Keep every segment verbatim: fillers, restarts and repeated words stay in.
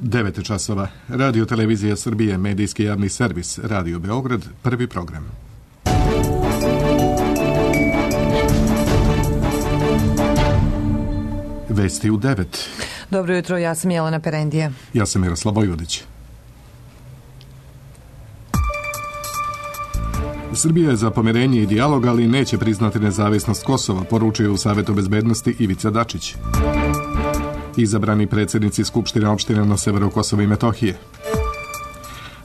devet časova. Radio Televizija Srbije, medijski javni servis, Radio Beograd, prvi program. Vesti u devet. Dobro jutro, ja sam Jelena Perendija. Ja sam Miroslav Vojvodić. Srbija je za pomirenje i dijalog, ali neće priznati nezavisnost Kosova, poručio u Savetu bezbednosti Ivica Dačić. Izabrani predsjednici Skupštine opštine na severu Kosova i Metohije.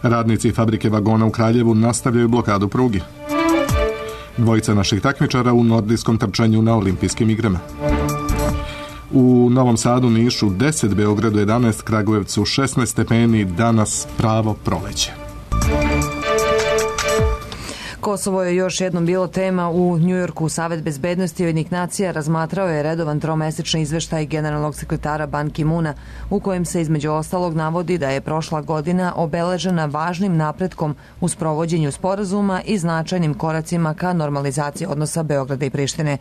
Radnici fabrike vagona u Kraljevu nastavljaju blokadu pruge. Dvojica naših takmičara u nordijskom trčanju na olimpijskim igrama. U Novom Sadu, Nišu deset, Beogradu jedanaest, Kragujevcu šesnaest stepeni, danas pravo proleće. Kosovo je još jednom bilo tema u Njujorku. Savet bezbednosti Ujedinjenih nacija razmatrao je redovan tromesečni izveštaj generalnog sekretara Ban Ki-muna, u kojem se između ostalog navodi da je prošla godina obeležena važnim napretkom u sprovođenju sporazuma i značajnim koracima ka normalizaciji odnosa Beograda i Prištine.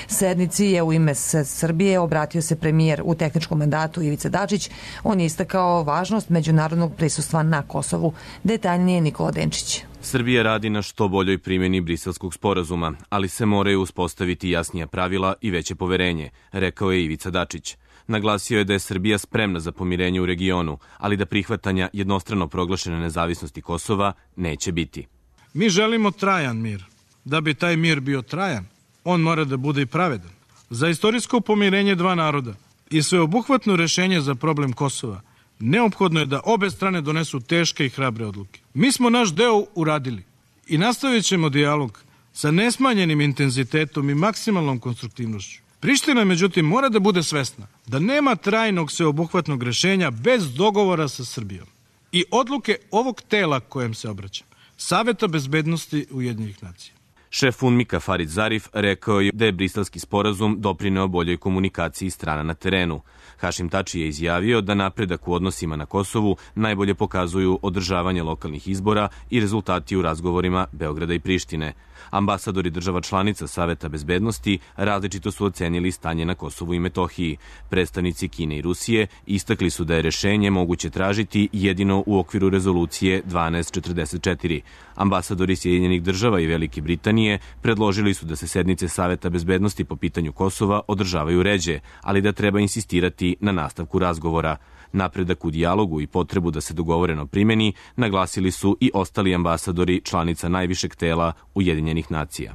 Sednici je u ime Srbije obratio se premijer u tehničkom mandatu Ivica Dačić. On je istakao važnost međunarodnog prisustva na Kosovu. Detaljnije Nikola Denčić. Srbija radi na što boljoj primjeni Briselskog sporazuma, ali se moraju uspostaviti jasnija pravila i veće poverenje, rekao je Ivica Dačić. Naglasio je da je Srbija spremna za pomirenje u regionu, ali da prihvatanja jednostrano proglašene nezavisnosti Kosova neće biti. Mi želimo trajan mir. Da bi taj mir bio trajan, on mora da bude i pravedan. Za istorijsko pomirenje dva naroda i sveobuhvatno rešenje za problem Kosova neophodno je da obe strane donesu teške i hrabre odluke. Mi smo naš deo uradili i nastavit ćemo dijalog sa nesmanjenim intenzitetom i maksimalnom konstruktivnošću. Priština, međutim, mora da bude svesna da nema trajnog sveobuhvatnog rešenja bez dogovora sa Srbijom i odluke ovog tela kojem se obraćam, Saveta bezbednosti Ujedinjenih nacija. Šef UNMIK-a Farid Zarif rekao je da je Briselski sporazum doprineo boljoj komunikaciji strana na terenu. Hašim Tači je izjavio da napredak u odnosima na Kosovu najbolje pokazuju održavanje lokalnih izbora i rezultati u razgovorima Beograda i Prištine. Ambasadori država članica Saveta bezbednosti različito su ocenili stanje na Kosovu i Metohiji. Predstavnici Kine i Rusije istakli su da je rešenje moguće tražiti jedino u okviru rezolucije dvanaest četrdeset četiri. Ambasadori Sjedinjenih država i Velike Britanije predložili su da se sednice Saveta bezbednosti po pitanju Kosova održavaju ređe, ali da treba insistirati na nastavku razgovora. Napredak u dijalogu i potrebu da se dogovoreno primeni naglasili su i ostali ambasadori članica najvišeg tela Ujedinjenih nacija.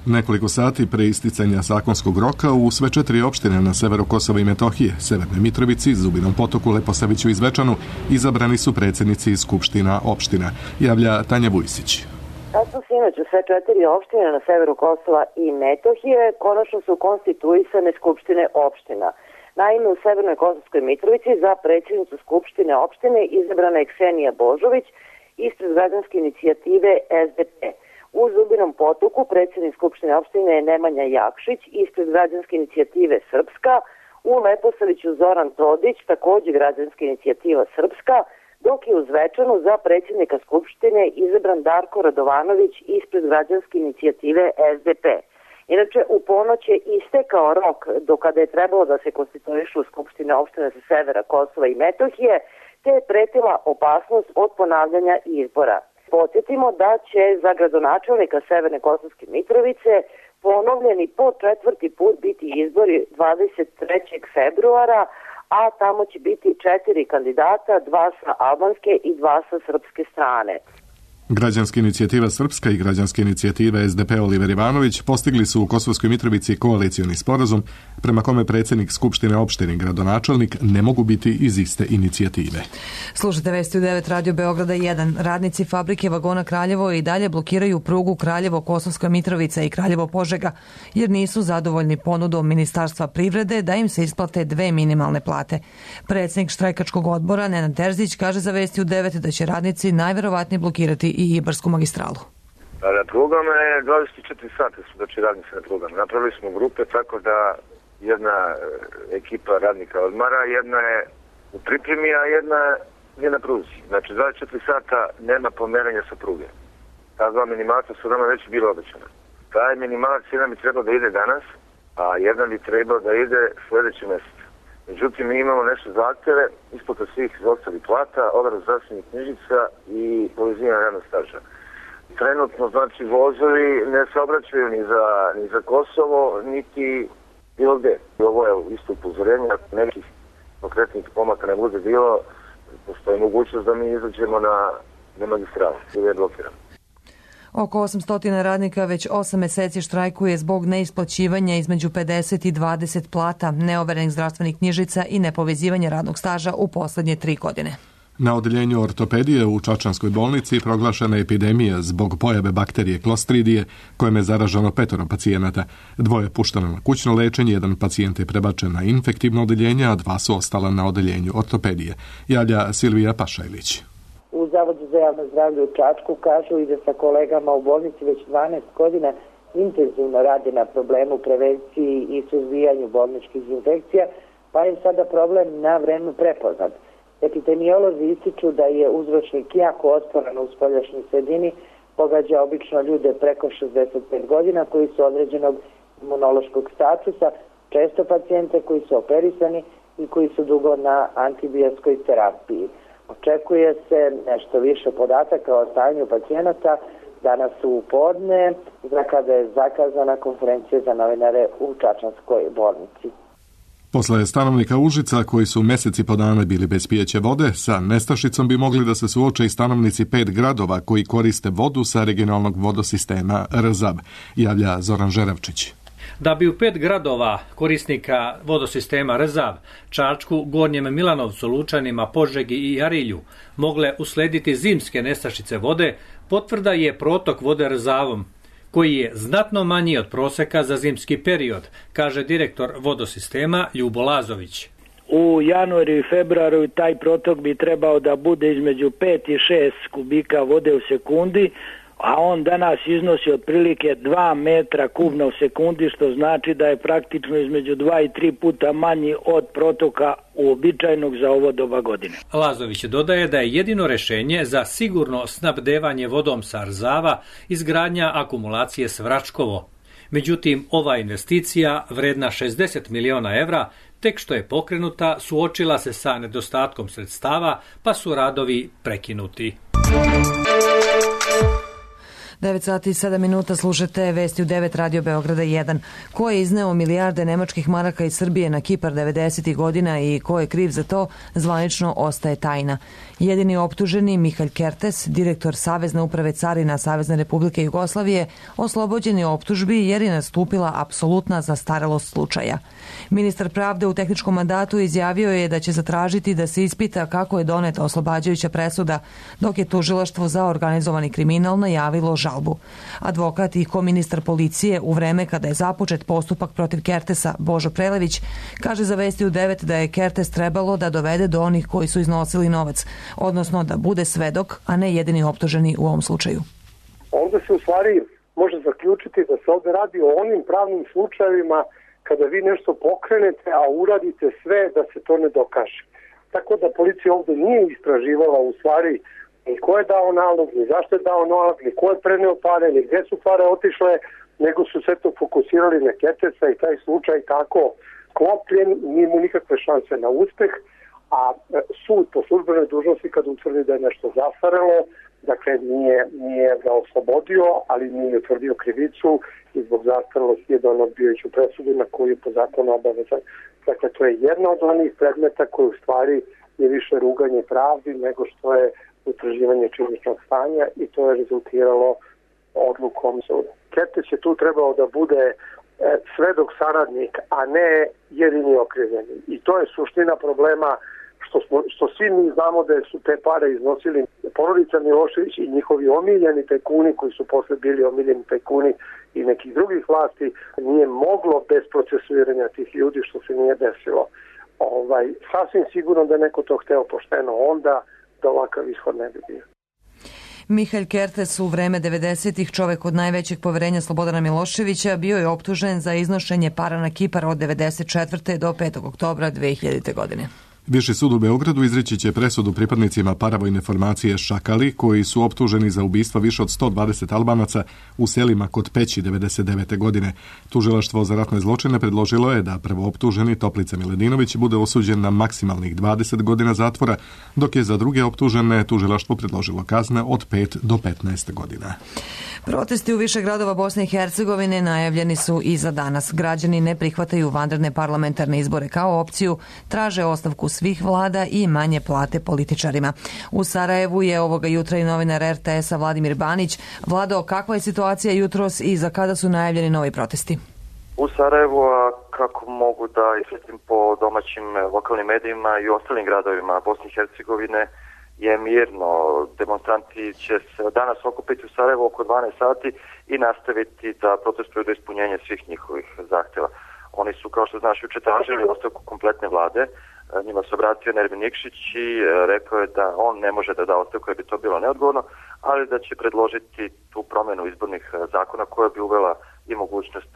Nekoliko sati pre isticanja zakonskog roka u sve četiri opštine na severu Kosova i Metohije, Severnoj Mitrovici, Zubinom Potoku, Leposaviću i Zvečanu, izabrani su predsjednici skupština opština, javlja Tanja Vujsić. Sad su sinoć u sve četiri opštine na severu Kosova i Metohije konačno su konstituisane skupštine opština. Naime, u Severnoj Kosovskoj Mitrovici za predsjednicu skupštine opštine izabrana je Ksenija Božović ispred građanske inicijative S D P. U Zubinom Potoku predsjednik skupštine opštine je Nemanja Jakšić ispred građanske inicijative Srpska, u Leposaviću Zoran Todić, također građanska inicijativa Srpska, dok je u Zvečanu za predsjednika skupštine izabran Darko Radovanović ispred građanske inicijative S D P. Inače, u ponoć je istekao rok do kada je trebalo da se konstituišu skupštine opštine sa severa Kosova i Metohije, te je pretila opasnost od ponavljanja izbora. Podsjetimo da će za gradonačelnika Severne Kosovske Mitrovice ponovljeni po četvrti put biti izbori dvadeset trećeg februara, a tamo će biti četiri kandidata, dva sa albanske i dva sa srpske strane. Građanska inicijativa Srpska i građanska inicijativa S D P Oliver Ivanović postigli su u Kosovskoj Mitrovici koalicioni sporazum prema kome predsjednik Skupštine opštine i gradonačelnik ne mogu biti iz iste inicijative. Slušajte vesti u devet Radio Beograda jedan. Radnici fabrike vagona Kraljevo i dalje blokiraju prugu Kraljevo-Kosovska Mitrovica i Kraljevo-Požega jer nisu zadovoljni ponudom Ministarstva privrede da im se isplate dve minimalne plate. Predsjednik štrajkačkog odbora Nenad Terzić kaže za vesti u devet da će radnici najverovatnije blokirati i Ibarsku magistralu. Na prugama je dvadeset četiri sata su znači radnici na prugama. Napravili smo grupe tako da jedna ekipa radnika odmara, jedna je u pripremi, a jedna je na pruzi. Znači dvadeset četiri sata nema pomeranja sa pruge. Ta dva minimalca su nama već bilo obećana. Taj minimalac jedan bi trebao da ide danas, a jedan bi trebao da ide sljedeći mjesec. Međutim, mi imamo nešto zahtjeve, isplata svih ostalih plata, overu zdravstvenih knjižica i povezivanje radnog staža. Trenutno, znači, vozovi ne se obraćaju ni za, ni za Kosovo, niti bilo gde. Ovo je isto upozorenje, ako nekih konkretnih pomaka ne bude bilo, postoji mogućnost da mi izađemo na, na magistralu, ili je blokirano. Oko osamsto radnika već osam meseci štrajkuje zbog neisplaćivanja između pedeset i dvadeset plata, neoverenih zdravstvenih knjižica i nepovezivanja radnog staža u poslednje tri godine. Na odeljenju ortopedije u Čačanskoj bolnici proglašena je epidemija zbog pojave bakterije klostridije, kojom je zaraženo petoro pacijenata. Dvoje pušteno na kućno lečenje, jedan pacijent je prebačen na infektivno odeljenje, a dva su ostala na odeljenju ortopedije. Javlja Silvija Pašajlić. U Zavodu za javno zdravlje u Čačku kažu i da sa kolegama u bolnici već dvanaest godina intenzivno radi na problemu prevenciji i suzbijanju bolničkih infekcija, pa je sada problem na vreme prepoznat. Epidemiolozi ističu da je uzročnik jako otporan u spoljašnjoj sredini, pogađa obično ljude preko šezdeset pet godina koji su određenog imunološkog statusa, često pacijente koji su operisani i koji su dugo na antibiotskoj terapiji. Očekuje se nešto više podataka o stanju pacijenata danas u podne, za kada je zakazana konferencija za novinare u Čačanskoj bolnici. Posle stanovnika Užica, koji su meseci po dana bili bez pijeće vode, sa nestašicom bi mogli da se suoče i stanovnici pet gradova koji koriste vodu sa regionalnog vodosistema R Z A B, javlja Zoran Žeravčić. Da bi u pet gradova korisnika vodosistema R Z A B, Čačku, Gornjem Milanovcu, Lučanima, Požegi i Arilju, mogle uslediti zimske nestašice vode, potvrda je protok vode R Z A B-om, koji je znatno manji od proseka za zimski period, kaže direktor vodosistema Ljubo Lazović. U januaru i februaru taj protok bi trebao da bude između pet i šest kubika vode u sekundi, a on danas iznosi otprilike dva metra kubna u sekundi, što znači da je praktično između dva i tri puta manji od protoka uobičajenog za ovo doba godine. Lazović dodaje da je jedino rešenje za sigurno snabdevanje vodom sa Rzava izgradnja akumulacije Svračkovo. Međutim, ova investicija, vredna šezdeset miliona evra, tek što je pokrenuta, suočila se sa nedostatkom sredstava, pa su radovi prekinuti. devet sati i sedam minuta, slušate vesti u devet Radio Beograda jedan. Ko je izneo milijarde nemačkih maraka iz Srbije na Kipar devedesetih godina i ko je kriv za to, zvanično ostaje tajna. Jedini optuženi, Mihalj Kertes, direktor Savezne uprave carina Savezne Republike Jugoslavije, oslobođen je optužbi jer je nastupila apsolutna zastarelost slučaja. Ministar pravde u tehničkom mandatu izjavio je da će zatražiti da se ispita kako je doneta oslobađajuća presuda, dok je tužilaštvo za organizovani kriminal najavilo žalbu. Advokat i koministar policije u vreme kada je započet postupak protiv Kertesa, Božo Prelević, kaže za vesti u devet da je Kertes trebalo da dovede do onih koji su iznosili novac, odnosno da bude svedok, a ne jedini optuženi u ovom slučaju. Ovdje se u stvari može zaključiti da se ovdje radi o onim pravnim slučajevima kada vi nešto pokrenete, a uradite sve da se to ne dokaže. Tako da policija ovdje nije istraživala u stvari ni ko je dao nalog, ni zašto je dao nalog, ni ko je preneo pare, ni gdje su pare otišle, nego su sve to fokusirali na Kertesa i taj slučaj tako klopljen, nije mu nikakve šanse na uspeh, a sud po službenoj dužnosti kad utvrdi da je nešto zastarelo, dakle nije, nije ga oslobodio, ali nije utvrdio krivicu i zbog zastarelosti je donio odbijajuću presudu na koju je po zakonu obavezan. Dakle, to je jedna od onih predmeta koji u stvari je više ruganje pravdi nego što je utvrđivanje činjeničnog stanja i to je rezultiralo odlukom suda. Kertes je tu trebao da bude svedok saradnik, a ne jedini okrivljeni. I to je suština problema što, smo, što svi mi znamo da su te pare iznosili porodica Milošević i njihovi omiljeni tajkuni koji su posle bili omiljeni tajkuni i nekih drugih vlasti, nije moglo bez procesuiranja tih ljudi što se nije desilo. Ovaj, sasvim sigurno da je neko to hteo pošteno onda, da ovakav ishod ne bi bio. Mihalj Kertes u vreme devedesetih, čovek od najvećeg poverenja Slobodana Miloševića, bio je optužen za iznošenje para na Kipar od devedeset četvrte do petog oktobra dve hiljadite. godine. Viši sud u Beogradu izreći će presudu pripadnicima paravojne formacije Šakali, koji su optuženi za ubistva više od sto dvadeset Albanaca u selima kod Peći devedeset devete. godine. Tužilaštvo za ratne zločine predložilo je da prvooptuženi Toplica Miladinović bude osuđen na maksimalnih dvadeset godina zatvora, dok je za druge optužene tužilaštvo predložilo kazne od pet do petnaest godina. Protesti u više gradova Bosne i Hercegovine najavljeni su i za danas. Građani ne prihvataju vanredne parlamentarne izbore kao opciju, traže ostavku svih vlada i manje plate političarima. U Sarajevu je ovoga jutra i novinar er te es-a Vladimir Banić. Vlado, kakva je situacija jutros i za kada su najavljeni novi protesti? U Sarajevu, a kako mogu da isvetim po domaćim lokalnim medijima i ostalim gradovima Bosne i Hercegovine, je mirno. Demonstranti će se danas okupiti u Sarajevu oko dvanaest sati i nastaviti da protestuju do ispunjenja svih njihovih zahtjeva. Oni su, kao što znaš, juče tražili ostavku kompletne vlade. Njima se obratio Nermin Nikšić i rekao je da on ne može da da ostavku jer bi to bilo neodgovorno, ali da će predložiti tu promjenu izbornih zakona koja bi uvela i mogućnost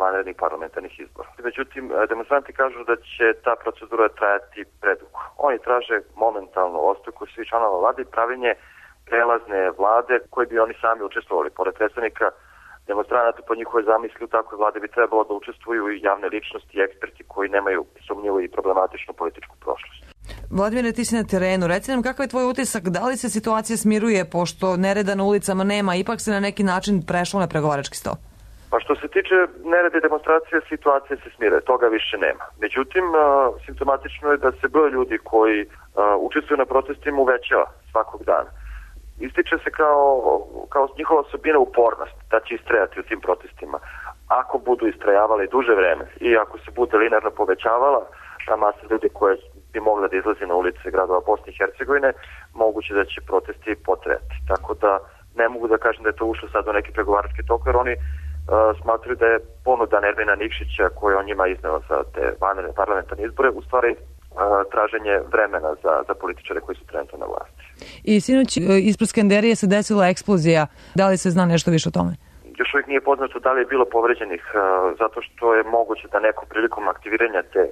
vanrednih parlamentarnih izbora. Međutim, demonstranti kažu da će ta procedura trajati predugo. Oni traže momentalnu ostavku svih članova vlade i pravilnje prelazne vlade koje bi oni sami učestvovali. Pored predstavnika demonstranata po njihovoj zamisli u takvoj vlade bi trebalo da učestvuju i javne ličnosti i eksperti koji nemaju sumnjivu i problematičnu političku prošlost. Vladimire, ti si na terenu. Reci nam kakav je tvoj utisak, da li se situacija smiruje pošto nereda na ulicama nema, ipak se na neki način prešlo na pregovarački sto? Pa što se tiče nerede demonstracije, situacija se smire, toga više nema. Međutim, simptomatično je da se broj ljudi koji učestvuju na protestima uvećava svakog dana. Ističe se kao, kao njihova osobina upornost, da će istrajati u tim protestima. Ako budu istrajavali duže vreme i ako se bude linearno povećavala ta masa ljudi koje bi mogla da izlazi na ulice gradova Bosne i Hercegovine, moguće da će protesti potrajati. Tako da ne mogu da kažem da je to ušlo sad u neki pregovarački tok, jer oni uh, smatruju da je ponuda Nermina Nikšića koju on njima izneo za te vanredne parlamentarne izbore u stvari uh, traženje vremena za, za političare koji su trenutno na vlasti. I sinoć ispred Skenderije se desila eksplozija. Da li se zna nešto više o tome? Još uvijek nije poznato da li je bilo povređenih, uh, zato što je moguće da neko prilikom aktiviranja te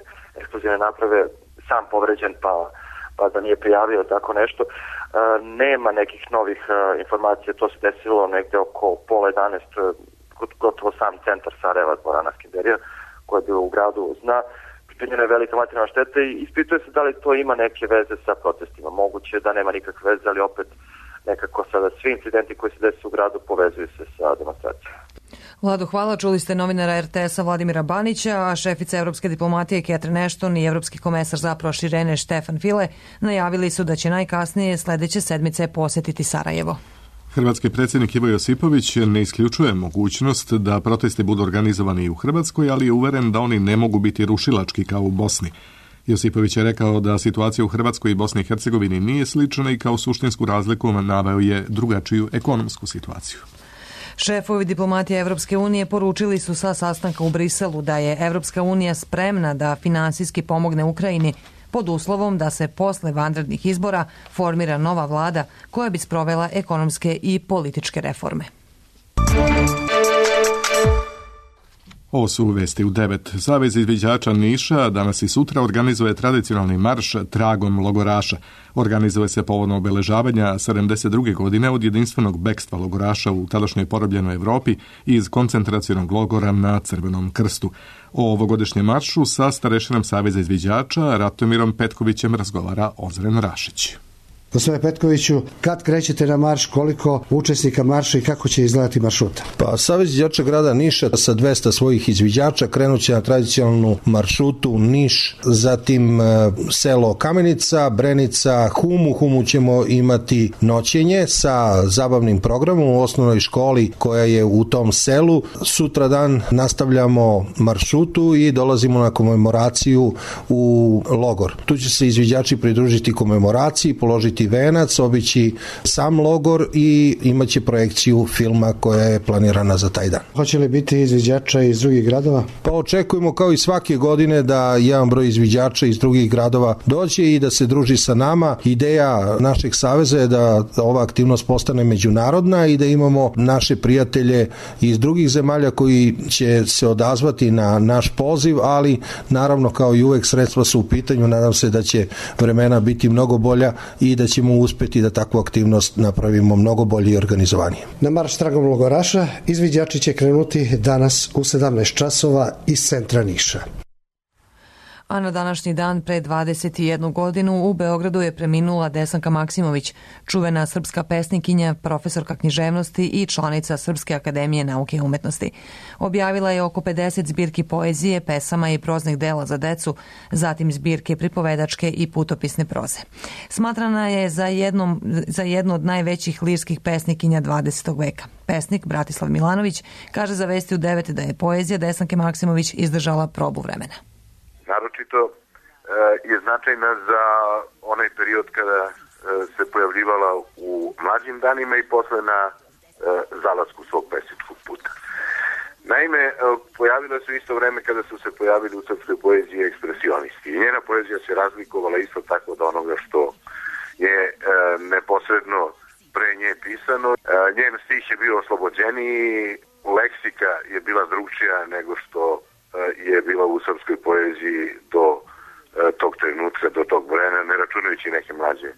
eksplozivne naprave sam povređen pa, pa da nije prijavio tako nešto. Uh, nema nekih novih uh, informacija, to se desilo negde oko pola jedanaest, uh, gotovo sam centar Sarajeva, dvorana Skenderija, koja je bio u gradu, zna. Pričinjena je velika materijalna šteta i ispituje se da li to ima neke veze sa protestima. Moguće da nema nikakve veze, ali opet nekako sada svi incidenti koji se desi u gradu povezuju se sa demonstracijom. Vlado, hvala. Čuli ste novinara er te es-a Vladimira Banića, a šefica Evropske diplomatije Catherine Ashton i Evropski komesar za proširenje Stefan File najavili su da će najkasnije sledeće sedmice posjetiti Sarajevo. Hrvatski predsjednik Ivo Josipović ne isključuje mogućnost da protesti budu organizovani i u Hrvatskoj, ali je uveren da oni ne mogu biti rušilački kao u Bosni. Josipović je rekao da situacija u Hrvatskoj i Bosni i Hercegovini nije slična i kao suštinsku razliku naveo je drugačiju ekonomsku situaciju. Šefovi diplomatije Evropske unije poručili su sa sastanka u Briselu da je Evropska unija spremna da finansijski pomogne Ukrajini pod uslovom da se posle vanrednih izbora formira nova vlada koja bi sprovela ekonomske i političke reforme. Ovo su vesti u devet. Savez izviđača Niša danas i sutra organizuje tradicionalni marš tragom logoraša. Organizuje se povodom obeležavanja sedamdeset druge godine od jedinstvenog bekstva logoraša u tadašnjoj porobljenoj Evropi iz koncentracionog logora na Crvenom krstu. O ovogodišnjem maršu sa starešinom Saveza izviđača Ratomirom Petkovićem razgovara Ozren Rašić. Gospodine Petkoviću, kad krećete na marš, koliko učesnika marša i kako će izgledati maršruta? Pa Savez izviđača grada Niša sa dvesta svojih izviđača krenuće na tradicionalnu maršrutu Niš, zatim e, selo Kamenica, Brenica, Hum. U Humu ćemo imati noćenje sa zabavnim programom u osnovnoj školi koja je u tom selu. Sutra dan nastavljamo maršrutu i dolazimo na komemoraciju u logor. Tu će se izviđači pridružiti komemoraciji, položiti obići Venac, obići sam logor i imaće projekciju filma koja je planirana za taj dan. Hoće li biti izviđača iz drugih gradova? Pa očekujemo kao i svake godine da jedan broj izviđača iz drugih gradova dođe i da se druži sa nama. Ideja našeg saveza je da ova aktivnost postane međunarodna i da imamo naše prijatelje iz drugih zemalja koji će se odazvati na naš poziv, ali naravno kao i uvek sredstva su u pitanju. Nadam se da će vremena biti mnogo bolja i da ćemo uspeti da takvu aktivnost napravimo mnogo bolje i organizovanije. Na marš tragom logoraša izviđači će krenuti danas u sedamnaest časova iz centra Niša. A na današnji dan pre dvadeset jednu godinu u Beogradu je preminula Desanka Maksimović, čuvena srpska pesnikinja, profesorka književnosti i članica Srpske akademije nauke i umetnosti. Objavila je oko pedeset zbirki poezije, pesama i proznih dela za decu, zatim zbirke pripovedačke i putopisne proze. Smatrana je za, jednom, za jednu od najvećih lirskih pesnikinja dvadesetog veka. Pesnik Bratislav Milanović kaže za Vesti u devet da je poezija Desanke Maksimović izdržala probu vremena. Naročito e, je značajna za onaj period kada e, se pojavljivala u mlađim danima i posle na e, zalasku svog pesničkog puta. Naime, e, pojavila se isto vreme kada su se pojavili u srpskoj poeziji ekspresionisti i njena poezija se razlikovala isto tako od onoga što je e, neposredno pre nje pisano. E, njen stih je bio oslobođeniji, leksika je bila drugčija nego što je bila u srpskoj poeziji do e, tog trenutka, do tog vremena, ne računajući neke mlađe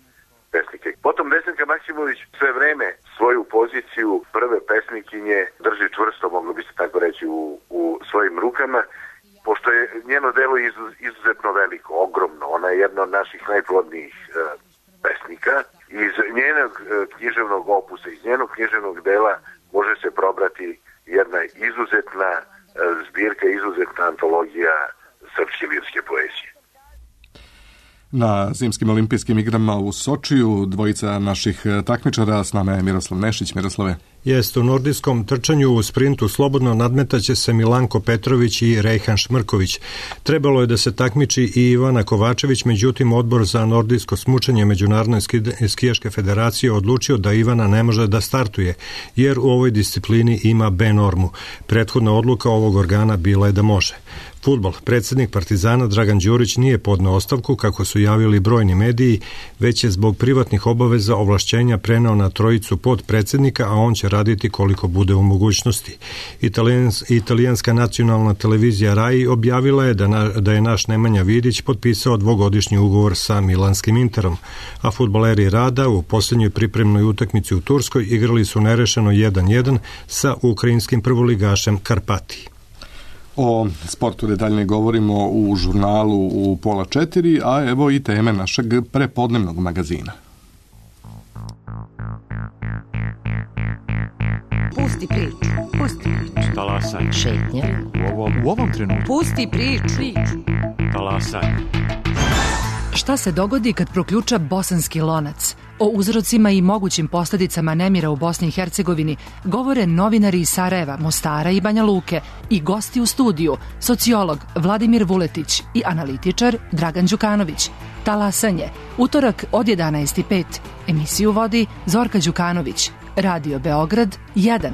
pesnike. Potom Desanka Maksimović sve vreme svoju poziciju prve pesnikinje drži čvrsto, moglo bi se tako reći, u, u svojim rukama, pošto je njeno delo izuz, izuzetno veliko, ogromno. Ona je jedna od naših najplodnijih e, pesnika. Iz njenog e, književnog opusa, iz njenog književnog dela može se probrati jedna izuzetna zbirka, izuzetna antologija srpske lirske poezije. Na zimskim olimpijskim igrama u Sočiju dvojica naših takmičara, s nama je Miroslav Nešić. Miroslave. Jest, u nordijskom trčanju u sprintu slobodno nadmetaće se Milanko Petrović i Rejhan Šmrković. Trebalo je da se takmiči i Ivana Kovačević, međutim odbor za nordijsko smučanje Međunarodne skijaške federacije odlučio da Ivana ne može da startuje, jer u ovoj disciplini ima B normu. Prethodna odluka ovog organa bila je da može. Fudbal. Predsjednik Partizana Dragan Đurić nije podneo ostavku, kako su javili brojni mediji, već je zbog privatnih obaveza ovlašćenja preneo na trojicu podpredsjednika, a on će raditi koliko bude u mogućnosti. Italijans, italijanska nacionalna televizija Rai objavila je da, na, da je naš Nemanja Vidić potpisao dvogodišnji ugovor sa milanskim Interom, a fudbaleri Rada u posljednjoj pripremnoj utakmici u Turskoj igrali su nerešeno jedan jedan sa ukrajinskim prvoligašem Karpati. O sportu detaljnije govorimo u žurnalu u pola četiri, a evo i teme našeg prepodnevnog magazina. Pusti priču, pusti priču. Talasaj. Šetnja. U ovom, u ovom trenutku. Pusti priču. Talasaj. Šta se dogodi kad proključa bosanski lonac? O uzrocima i mogućim posljedicama nemira u Bosni i Hercegovini govore novinari iz Sarajeva, Mostara i Banja Luke i gosti u studiju, sociolog Vladimir Vuletić i analitičar Dragan Đukanović. Talasanje, utorak od jedanaest i pet. Emisiju vodi Zorka Đukanović. Radio Beograd jedan.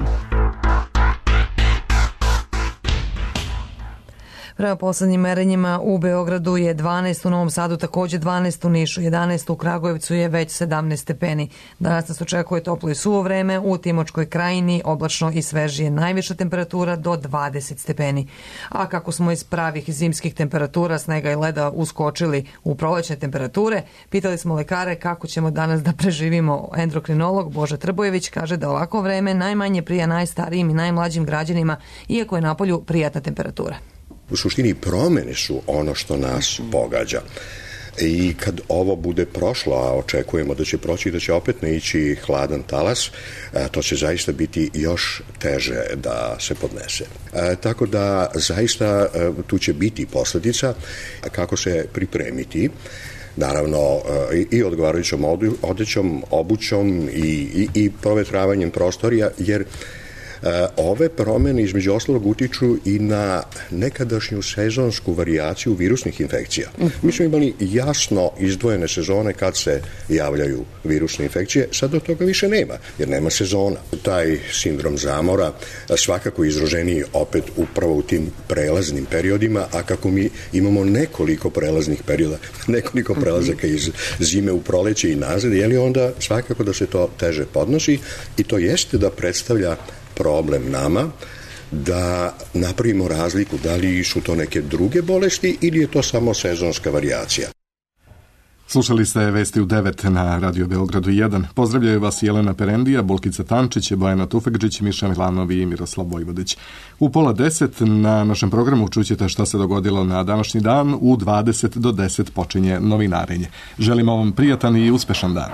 Prema poslednjim merenjima u Beogradu je dvanaest, u Novom Sadu takođe dvanaest, u Nišu jedanaest, u Kragujevcu je već sedamnaest stepeni. Danas nas očekuje toplo i suvo vreme, u Timočkoj krajini oblačno i svežije, najviša temperatura do dvadeset stepeni. A kako smo iz pravih zimskih temperatura, snega i leda uskočili u prolećne temperature, pitali smo lekare kako ćemo danas da preživimo. Endokrinolog Boža Trbojević kaže da ovako vreme najmanje prija najstarijim i najmlađim građanima, iako je napolju prijatna temperatura. U suštini promene su ono što nas pogađa. I kad ovo bude prošlo, a očekujemo da će proći i da će opet naići hladan talas, to će zaista biti još teže da se podnese. Tako da zaista tu će biti posljedica kako se pripremiti, naravno i odgovarajućom odećom, obućom i, i, i provetravanjem prostorija, jer Ove promene između ostalog utiču i na nekadašnju sezonsku varijaciju virusnih infekcija. Mi smo imali jasno izdvojene sezone kad se javljaju virusne infekcije, sad do toga više nema, jer nema sezona. Taj sindrom zamora svakako izraženiji opet upravo u tim prelaznim periodima, a kako mi imamo nekoliko prelaznih perioda, nekoliko prelazaka iz zime u proleće i nazad, je li onda svakako da se to teže podnosi i to jeste da predstavlja problem nama da napravimo razliku da li su to neke druge bolesti ili je to samo sezonska varijacija. Slušali ste vesti u devet na Radio Beogradu jedan. Pozdravljaju vas Jelena Perendija, Bulkica Tančić, Bojana Tufekđić, Miša Milanov i Miroslav Vojvodić. U pola deset na našem programu čućete šta se dogodilo na današnji dan. U dvadeset do deset počinje novinarenje. Želimo vam prijatan i uspešan dan.